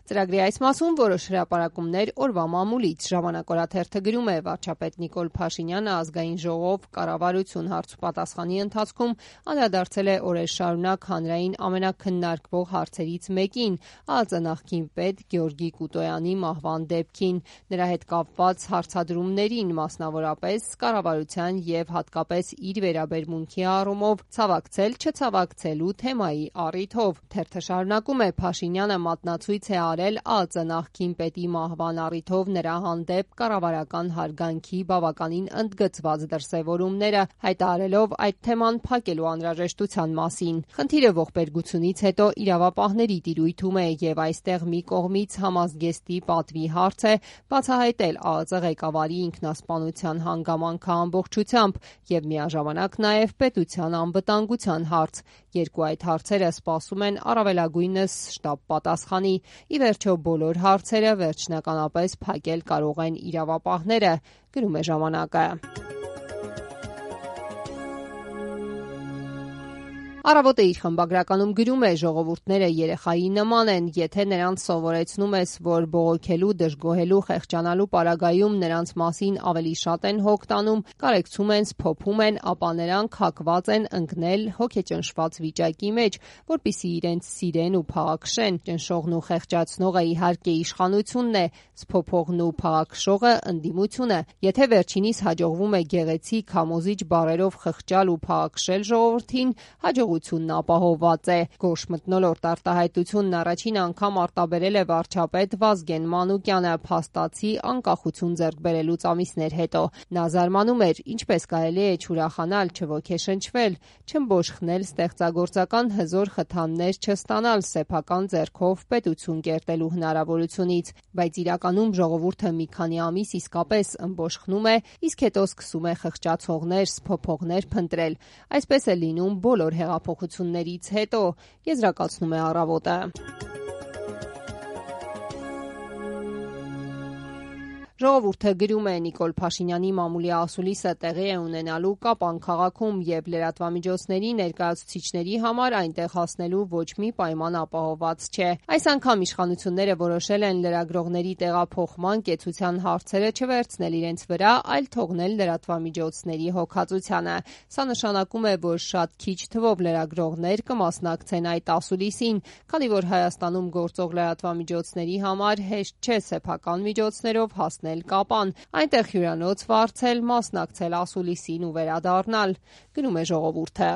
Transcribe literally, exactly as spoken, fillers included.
Ծրագրի այս մասում որոշ հրապարակումներ օրվա մամուլից։ Ժամանակ օրաթերթը գրում է, վարչապետ Նիկոլ Փաշինյանը ազգային ժողով կառավարություն հարցուպատասխանի ընթացքում անդրադարձել է օրեր շարունակ հանրային ամենաքննարկվող հարցերից մեկին՝ ԱԱԾ նախկին պետ Գեորգի Կուտոյանի մահվան դեպքին, նրա հետ կապված հարցադրումներին, մասնավորապես կառավարության եւ հատկապես իր վերաբերմունքի առումով ցավակցել-չցավակցելու թեմայի առիթով։ Թերթը շարունակում է. Փաշինյանը մատնացույց է արել ԱԱԾ նախկին պետի մահվան առիթով նրա հանդեպ կառավարական հարգանքի բավականին ընդգծված դրսևորումները, հայտարարելով այդ թեման փակելու անհրաժեշտության մասին։ Խնդիրը ողբերգությունից հետո իրավապահների տիրույթում է եւ այստեղ մի կողմից համազգեստի պատվի հարց է բացահայտել ԱԱԾ ղեկավարի ինքնասպանության հանգամանքը ամբողջությամբ եւ միաժամանակ նաեւ պետության անվտանգության հարց։ Երկու այդ հարցերը սպասում են առավելագույնս շտապ պատասխանի։ Ի վերջո բոլոր հարցերը վերջնականապես փակել կարող են իրավապահները, գրում է ժամանակը։ Առավոտը իր խմբագրականում գրում է. ժողովուրդները երեխայի նման են, եթե նրանց սովորեցնում ես, որ բողոքելու, դժգոհելու, խեղճանալու պարագայում նրանց մասին ավելի շատ են հոգ տանում, կարեկցում են, սփոփում են, ապա նրանք հակված են ընկնել հոգեճնշված վիճակի մեջ, որպեսզի իրենց սիրեն ու փաղաքշեն։ Ճնշողն ու խեղճացնողը իհարկե իշխանությունն է, սփոփողն ու փաղաքշողը ընդդիմությունը։ Եթե վերջինիս հաջողվում է գեղեցիկ, համոզիչ բառերով խղճալ ու փաղաքշել ժողովրդին, հաջողությունն ապահովված է։ Գորշ մթնոլորտ արտահայտությունն առաջին անգամ արտաբերել է վարչապետ Վազգեն Մանուկյանը փաստացի անկախություն ձեռք բերելուց ամիսներ հետո։ Նա զարմանում էր, ինչպես կարելի է չուրախանալ, չոգեշնչվել, չըմբոշխնել ստեղծագործական հզոր խթաններ չստանալ սեփական ձեռքով պետություն կերտելու հնարավորությունից, բայց իրականում ժողովուրդը մի քանի ամիս իսկապես ըմբոշխնում է, իսկ հետո սկսում է խղճացողներ, սփոփողներ փնտրել։ Այսպես է լինում բոլոր հեղափոխություններից հետո, եզրակացնում է Առավոտը։ Ժողովուրդը գրում է. Նիկոլ Փաշինյանի մամուլի ասուլիսը տեղի է ունենալու Կապան քաղաքում եւ լրատվամիջոցների ներկայացուցիչների համար այնտեղ հասնելու ոչ մի պայման ապահովված չէ։ Այս անգամ իշխանությունները որոշել են լրագրողների տեղափոխման կեցության հարցերը չվերցնել իրենց վրա, այլ թողնել լրատվամիջոցների հոգացությանը։ Սա նշանակում է, որ շատ քիչ թվով լրագրողներ կմասնակցեն այդ ասուլիսին, քանի որ Հայաստանում գործող լրատվամիջոցների համար հեշտ չէ սեփական միջոցներով հասնել Կապան, այնտեղ հյուրանոց վարձել, մասնակցել ասուլիսին ու վերադառնալ, գրում է Ժողովուրդը։